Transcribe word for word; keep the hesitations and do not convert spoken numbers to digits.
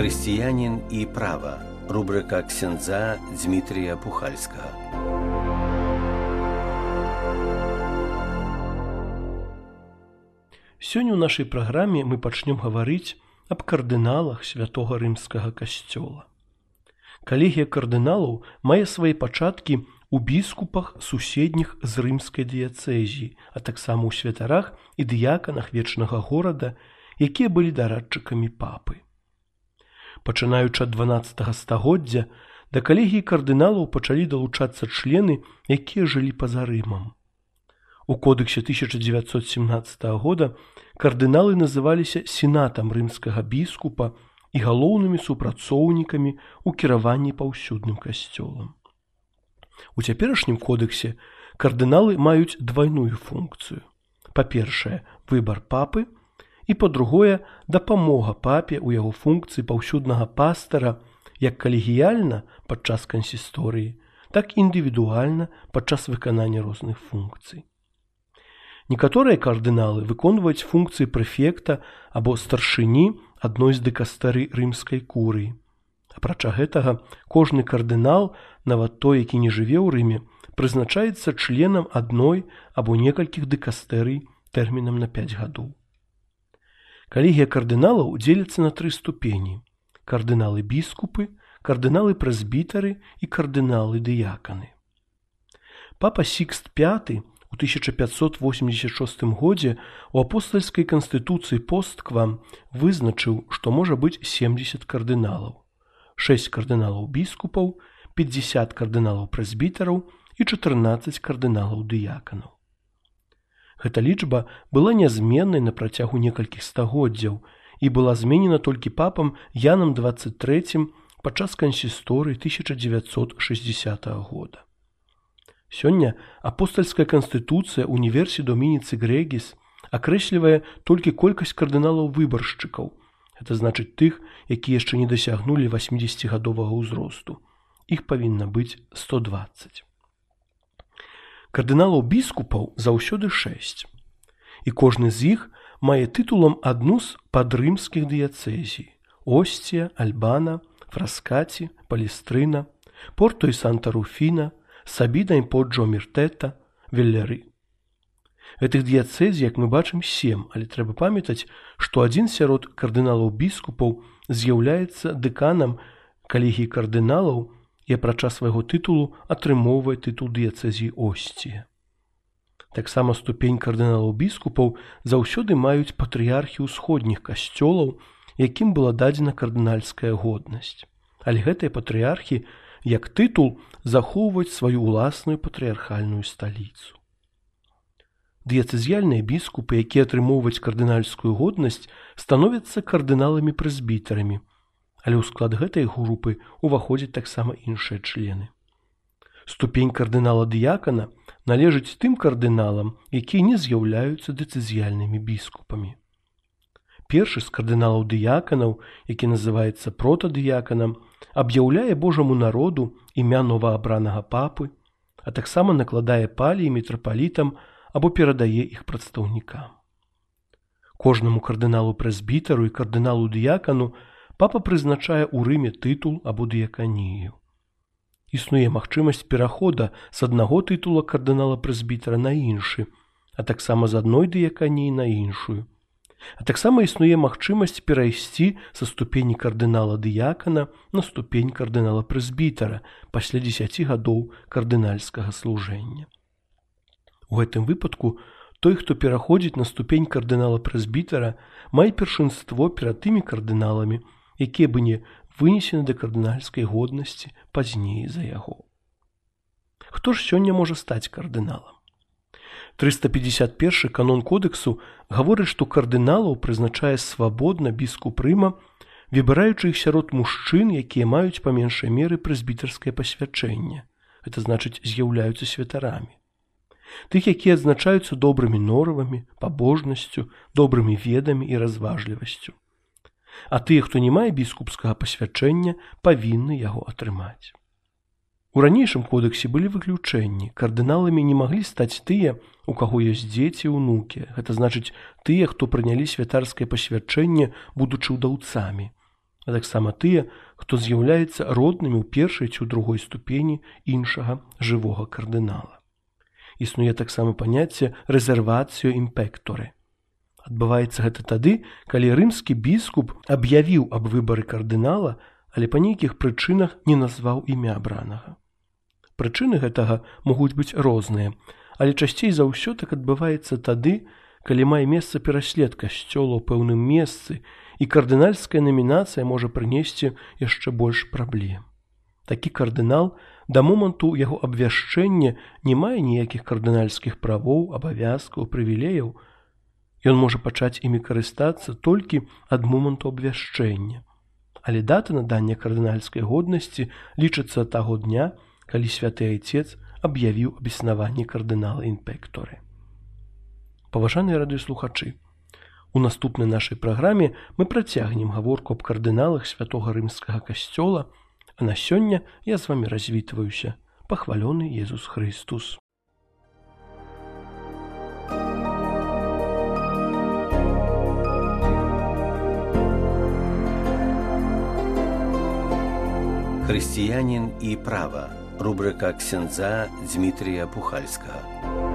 Хрысціянін і права. Рубрика ксяндза Дмітрія Пухальскага. Сёння ў нашай праграме мы пачнём гаварыць аб кардыналах святога рымскага касцёла. Калегія кардыналаў мае свае пачаткі ў біскупах суседніх з рымскай дыяцэзіі, а таксама ў святарах і дыяканах вечнага горада, якія былі дарадчыкамі папы. Пачынаючы ад дванаццатага стагоддзя, да калегіі кардыналаў пачалі далучацца члены, якія жылі па-за Рымам. У кодэксе тысяча дзевяцьсот семнаццатага года кардыналы называліся сенатам рымскага біскупа і галоўнымі супрацоўнікамі ў кіраванні паўсюдным касцёлам. У цяперашнім кодэксе кардыналы маюць двайную функцыю. Па-першае, выбар папы, і, па-другое, дапамога папе ў яго функцыі паўсюднага пастара як калегіяльна падчас кансісторыі, так і індывідуальна падчас выканання розных функцый. Некаторыя кардыналы выконваюць функцыі прэфекта або старшыні адной з дыкастэрый рымскай курыі. Апрача гэтага, кожны кардынал, нават той, які не жыве ў Рыме, прызначаецца членам адной або некалькіх дыкастэрый тэрмінам на пяць гадоў. Калегія кардыналаў дзеліцца на тры ступені: кардыналы-біскупы, кардыналы-прэзбітары і кардыналы-дыяканы. Папа Сікст пяты у тысяча пятьсот восемьдесят шостым годзе у апостальскай канстытуцыі Постквам вызначыў, што можа быць семдзесят кардыналаў, шэсць кардыналаў-біскупаў, пятьдесят кардыналаў-прэзбітараў і чатырнаццаць кардыналаў-дыяканаў. Гэта лічба была нязменнай на працягу некалькіх стагоддзяў і была зменена толькі папам Янам дваццаць трэцім падчас кансісторыі тысяча дзевяцьсот шэсцідзясятага года. Сёння апостальская канстытуцыя Універсі Домініцы Грегіс акрэслівае толькі колькасць кардыналаў-выбаршчыкаў, гэта значыць тых, якія яшчэ не дасягнулі васьмідзесяцігадовага ўзросту. Іх павінна быць сто дваццаць. Кардыналаў-біскупаў заўсёды шэсць, і кожны з іх мае тытулам адну з падрымскіх дыяцэзій: Осція, Альбана, Фраскаці, Палестрына, Порто і Санта-Руфіна, Сабіна і Поджо-Міртэта, Веллеры. Гэтых дыяцэзій, як мы бачым, сем, але трэба памятаць, што адзін сярод кардыналаў-біскупаў з'яўляецца дэканам калегіі кардыналаў і апрача свайго тытулу атрымоўвае тытул дыяцэзіі Осція. Таксама ступень кардыналаў-біскупаў заўсёды маюць патрыярхі ўсходніх касцёлаў, якім была дадзена кардынальская годнасць. Але гэтыя патрыярхі, як тытул, захоўваюць сваю ўласную патрыярхальную сталіцу. Дыяцэзіяльныя біскупы, якія атрымоўваюць кардынальскую годнасць, становяцца кардыналамі-прэзбітарамі, але ў склад гэтай групы ўваходзяць таксама іншыя члены. Ступень кардынала-дыякана належыць тым кардыналам, якія не з'яўляюцца дыцэзіяльнымі біскупамі. Першы з кардыналаў-дыяканаў, які называецца протадыяканам, аб'яўляе Божаму народу імя новаабранага папы, а таксама накладае паліі мітрапалітам або перадае іх прадстаўнікам. Кожнаму кардыналу-прэзбітару і кардыналу-дыякану папа прызначае ў Рыме тытул або дыяканію. Існуе магчымасць перахода з аднаго тытула кардынала-прэзбітара на іншы, а таксама з адной дыяканіі на іншую. А таксама існуе магчымасць перайсці са ступені кардынала-дыякана на ступень кардынала-прэзбітара пасля дзесяці гадоў кардынальскага служэння. У гэтым выпадку той, хто пераходзіць на ступень кардынала-прэзбітара, мае першынство перад тымі кардыналамі, якія бы не вынесены да кардынальскай годнасці пазней за яго. Хто ж сёння можа стаць кардыналам? трыста пятьдесят першы канон кодэксу гаворыць, што кардыналаў прызначае свабодна біскуп Рыма, выбіраючы іх сярод мужчын, якія маюць па меншай меры прэзбітарскае пасвячэнне, гэта значыць з'яўляюцца святарамі. Тых, якія адзначаюцца добрымі норавамі, пабожнасцю, добрымі ведамі і разважлівасцю. А тыя, хто не мае біскупскага пасвячэння, павінны яго атрымаць. У ранейшым кодэксе былі выключэнні. Кардыналамі не маглі стаць тыя, у каго ёсць дзеці і ўнукі. Гэта значыць тыя, хто прынялі святарскае пасвячэнне, будучы ўдаўцамі. а таксама тыя, хто з'яўляецца роднымі ў першай ці ў другой ступені іншага жывога кардынала. Існуе таксама паняцце рэзервацыё імпектore. Адбываецца гэта тады, калі рымскі біскуп аб'явіў аб выбары кардынала, але па нейкіх прычынах не назваў імя абранага. Прычыны гэтага могуць быць розныя, але часцей за ўсё так адбываецца тады, калі мае месца пераслед касцёла ў пэўным месцы, і кардынальская намінацыя можа прынесці яшчэ больш праблем. Такі кардынал да моманту яго абвяшчэння не мае ніякіх кардынальскіх правоў, абавязкаў, прывілеяў. Ён можа пачаць імі карыстацца толькі ад моманту абвяшчэння. Але дата надання кардынальскай годнасці лічыцца таго дня, калі святы айцец аб'явіў аб існаванні кардынала імпектore. Паважаныя радыёслухачы, у наступнай нашай праграме мы працягнем гаворку аб кардыналах святога рымскага касцёла, а на сёння я з вамі развітваюся. Пахвалёны Езус Христус. Хрысціянін і права. Рубрика ксяндза Дзмітрія Пухальскага.